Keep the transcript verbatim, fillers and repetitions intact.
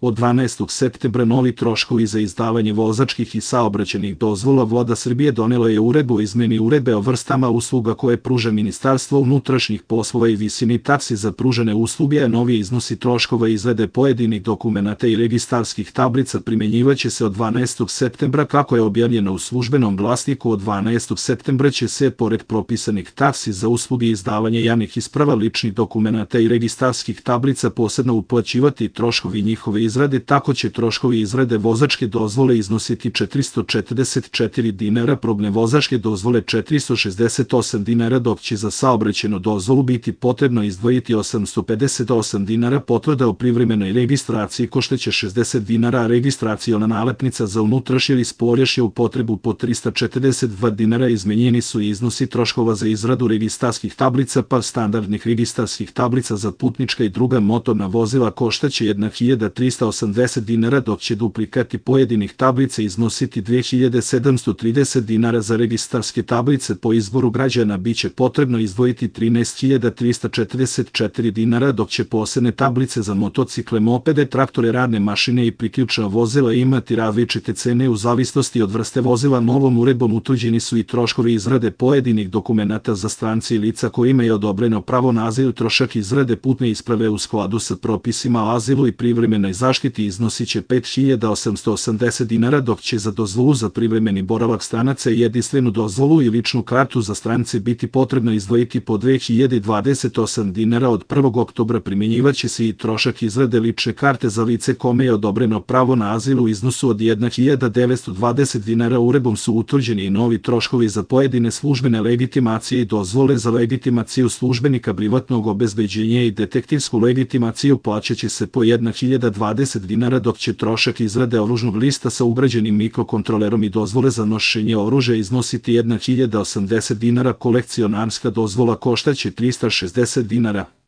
Od dvanaestog septembra novi troškovi za izdavanje vozačkih i saobraćajnih dozvola. Vlada Srbije donela je uredbu o izmeni uredbe o vrstama usluga koje pruža Ministarstvo unutrašnjih poslova i visini taksi za pružene usluge, a novi iznosi troškova izrade pojedinih dokumenata i registarskih tablica primenjivaće se od dvanaestog septembra kako je objavljeno u Službenom glasniku. Od dvanaestog septembra će se, pored propisanih taksi za usluge izdavanja javnih isprava, ličnih dokumenata i registarskih tablica, posebno uplaćivati troškovi njihove izrade. Tako će troškovi izrade vozačke dozvole iznositi četiristo četrdeset četiri dinara, probne vozačke dozvole četiristo šezdeset osam dinara, dok će za saobraćajnu dozvolu biti potrebno izdvojiti osamsto pedeset osam dinara. Potvrda o privremenoj registraciji koštaće šezdeset dinara, a registraciona nalepnica za unutrašnje ili spoljašnju upotrebu po trista četrdeset dva dinara. Izmenjeni su i iznosi troškova za izradu registarskih tablica, pa standardnih registarskih tablica za putnička i druga motorna vozila koštaće jedna hiljada trista osamdeset dinara, dok će duplikati pojedinih tablica iznositi dve hiljade sedamsto trideset dinara. Za registarske tablice po izboru građana biće potrebno izdvojiti trinaest hiljada trista četrdeset četiri dinara, dok će posebne tablice za motocikle, mopede, traktore, radne mašine i priključna vozila imati različite cene u zavisnosti od vrste vozila. Novom uredbom utvrđeni su i troškovi izrade pojedinih dokumenata za strance i lica koji imaju odobreno pravo na azil. Trošak izrade putne isprave u skladu sa propisima o azilu i privremenoj zaštiti iznosit će pet hiljada osamsto osamdeset dinara, dok će za dozvolu za privremeni boravak stranaca i jedinstvenu dozvolu i ličnu kartu za strance biti potrebno izdvojiti po dve hiljade dvadeset osam dinara. Od prvog oktobra primjenjivaće se i trošak izrade lične karte za lice kome je odobreno pravo na azil u iznosu od jedna hiljada devetsto dvadeset dinara. Uredbom su utvrđeni i novi troškovi za pojedine službene legitimacije i dozvole. Za legitimaciju službenika privatnog obezbeđenja i detektivsku legitimaciju plaćaće se po jedna hiljada dvadeset dinara, dok će trošak izrade oružnog lista sa ugrađenim mikrokontrolerom i dozvole za nošenje oružja iznositi jedna hiljada osamdeset dinara. Kolekcionarska dozvola koštaće trista šezdeset dinara.